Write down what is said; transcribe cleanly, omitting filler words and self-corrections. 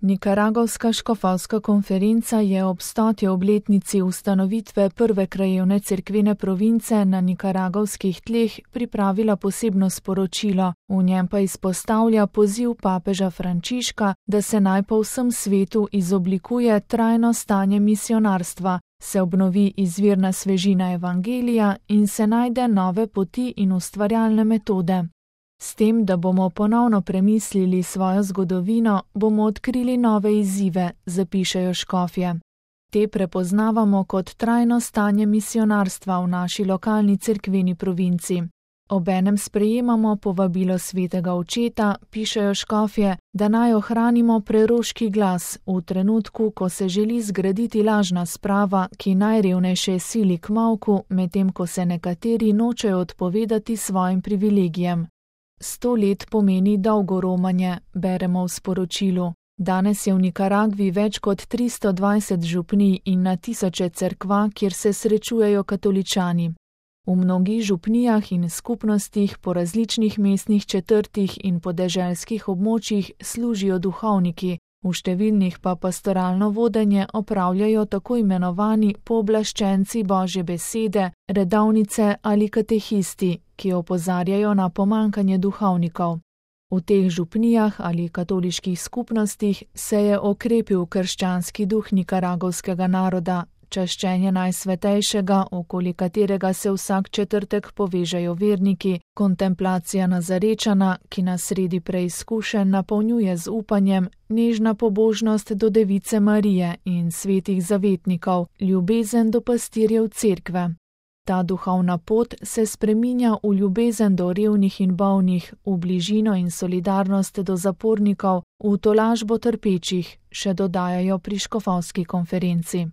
Nikaragovska škofovska konferenca je ob 100. obletnici ustanovitve prve krajevne cerkvene province na nikaragovskih tleh pripravila posebno sporočilo, v njem pa izpostavlja poziv papeža Frančiška, da se naj po vsem svetu izoblikuje trajno stanje misionarstva, se obnovi izvirna svežina evangelija in se najde nove poti in ustvarjalne metode. S tem, da bomo ponovno premislili svojo zgodovino, bomo odkrili nove izzive, zapišejo škofje. Te prepoznavamo kot trajno stanje misionarstva v naši lokalni cerkveni provinci. Obenem sprejemamo povabilo svetega očeta, pišejo škofje, da naj ohranimo preroški glas v trenutku, ko se želi zgraditi lažna sprava, ki najrevnejše sili k molku, medtem ko se nekateri nočejo odpovedati svojim privilegijem. 100 let pomeni dolgo romanje, beremo v sporočilu. Danes je v Nikaragvi več kot 320 župnij in na tisoče cerkva, kjer se srečujejo katoličani. V mnogih župnijah in skupnostih po različnih mestnih četrtih in podeželskih območjih služijo duhovniki, v številnih pa pastoralno vodenje opravljajo tako imenovani pooblaščenci Božje besede, redovnice ali katehisti, ki opozarjajo na pomanjkanje duhovnikov. V teh župnijah ali katoliških skupnostih se je okrepil krščanski duh nikaragovskega naroda, čaščenje Najsvetejšega, okoli katerega se vsak četrtek povežejo verniki, kontemplacija Nazarečana, ki nas sredi preizkušenj napolnjuje z upanjem, nežna pobožnost do Device Marije in svetih zavetnikov, ljubezen do pastirjev cerkve. Ta duhovna pot se spreminja v ljubezen do revnih in bolnih, v bližino in solidarnost do zapornikov, v tolažbo trpečih, še dodajajo pri škofovski konferenci.